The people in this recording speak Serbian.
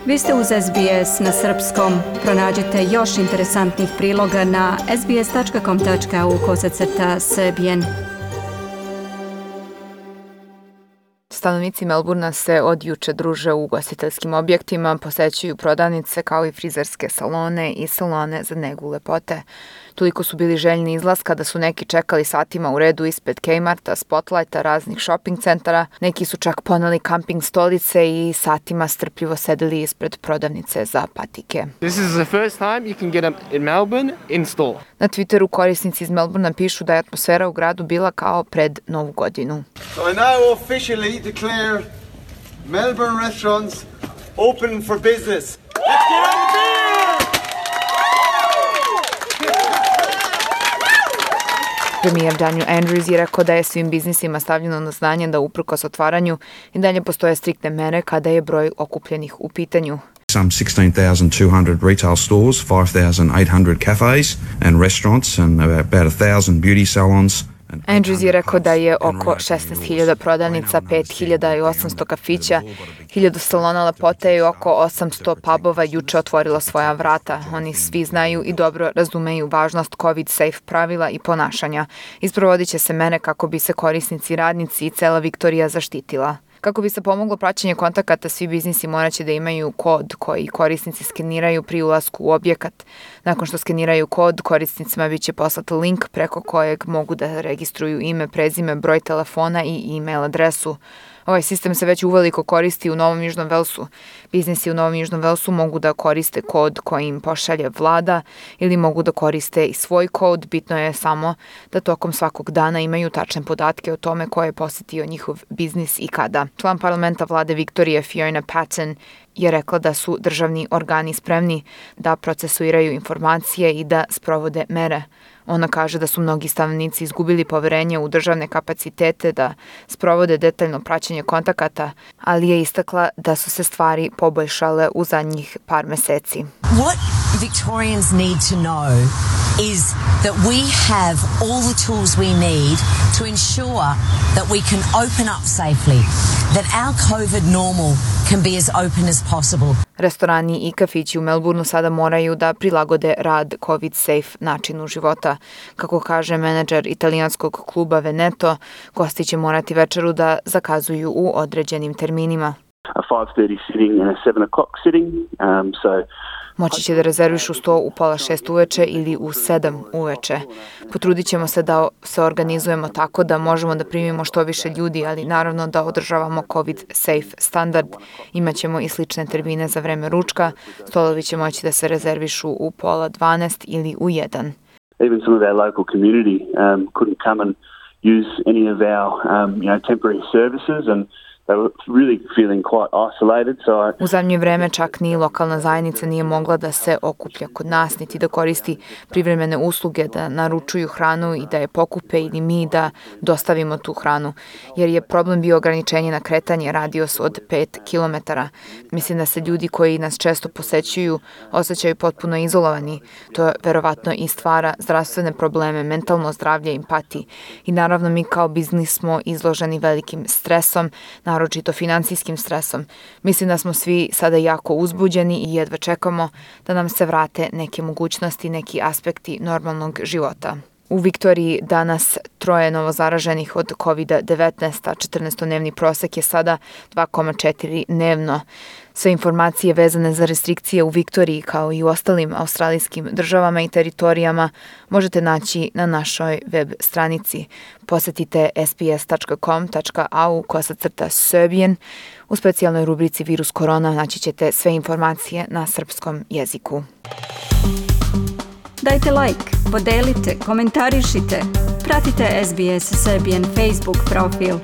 Vi ste uz SBS na srpskom. Pronađite još interesantnih priloga na sbs.com.au/serbian. Stanovnici Melburna se od juče druže u ugostiteljskim objektima, posećuju prodavnice kao i frizerske salone i salone za negu lepote. Toliko su bili željni izlaska da su neki čekali satima u redu ispred Kmarta, Spotlighta, raznih shopping centara. Neki su čak poneli kamping stolice i satima strpljivo sedeli ispred prodavnice za patike. This is the first time you can get them in Melbourne in store. Na Twitteru korisnici iz Melburna pišu da je atmosfera u gradu bila kao pred Novu godinu. So I now officially declare Melbourne restaurants open for business. Let's get on the beer! Premijer Daniel Andrews je rekao da je svim biznisima stavljeno na znanje da uprkos otvaranju i dalje postoje striktne mere kada je broj okupljenih u pitanju. Some 16,200 retail stores, 5,800 cafes and restaurants and about 1,000 beauty salons. Andrews je rekao da je oko 16.000 prodavnica, 5.800 kafića, 1.000 salona lepote i oko 800 pubova juče otvorilo svoja vrata. Oni svi znaju i dobro razumeju važnost COVID-safe pravila i ponašanja. Isprovodit će se mere kako bi se korisnici, radnici i cela Viktorija zaštitila. Kako bi se pomoglo praćenje kontakata, svi biznisi moraće da imaju kod koji korisnici skeniraju pri ulasku u objekat. Nakon što skeniraju kod, korisnicima biće poslat link preko kojeg mogu da registruju ime, prezime, broj telefona i e-mail adresu. Ovaj sistem se već uveliko koristi u Novom Južnom Velsu. Biznisi u Novom Južnom Velsu mogu da koriste kod koji im pošalje vlada ili mogu da koriste i svoj kod. Bitno je samo da tokom svakog dana imaju tačne podatke o tome ko je posjetio njihov biznis i kada. Član parlamenta vlade Viktorije Fiona Patten je rekla da su državni organi spremni da procesuiraju informacije i da sprovode mere. Ona kaže da su mnogi stanovnici izgubili poverenje u državne kapacitete da sprovode detaljno praćenje kontakata, ali je istakla da su se stvari poboljšale u zadnjih par meseci. What Victorians need to know is that we have all the tools we need to ensure that we can open up safely, that our COVID normal can be as open as possible. Restorani i kafići u Melbourneu sada moraju da prilagode rad COVID-safe načinu života. Kako kaže menadžer italijanskog kluba Veneto, gosti će morati večeru da zakazuju u određenim terminima. A 5:30 sitting and a 7 o'clock sitting, Moći će da rezervišu sto u 5:30 uveče ili u 7 uveče. Potrudit ćemo se da se organizujemo tako da možemo da primimo što više ljudi, ali naravno da održavamo COVID-safe standard. Imaćemo i slične termine za vreme ručka. Stolovi će moći da se rezervišu u 11:30 ili u 1. Even some of our local community couldn't come and use any of our temporary services, and they were really feeling quite isolated. U zadnje vreme čak ni lokalna zajednica nije mogla da se okuplja kod nas, niti da koristi privremene usluge, da naručuju hranu i da je pokupe ili mi da dostavimo tu hranu, jer je problem bio ograničenje na kretanje, radius od 5 kilometara. Mislim da se ljudi koji nas često posećuju osjećaju potpuno izolovani. To verovatno i stvara zdravstvene probleme, mentalno zdravlje, empatiji. I naravno mi kao biznis smo izloženi velikim stresom, naročito finansijskim stresom. Mislim da smo svi sada jako uzbuđeni i jedva čekamo da nam se vrate neke mogućnosti, neki aspekti normalnog života. U Viktoriji danas 3 novozaraženih od COVID-19, a 14-dnevni prosek je sada 2,4 dnevno. Sve informacije vezane za restrikcije u Viktoriji kao i u ostalim australijskim državama i teritorijama možete naći na našoj web stranici. Posetite sbs.com.au/serbian. U specijalnoj rubrici Virus korona naći ćete sve informacije na srpskom jeziku. Dajte like, podelite, komentarišite. Pratite SBS Serbian Facebook profil.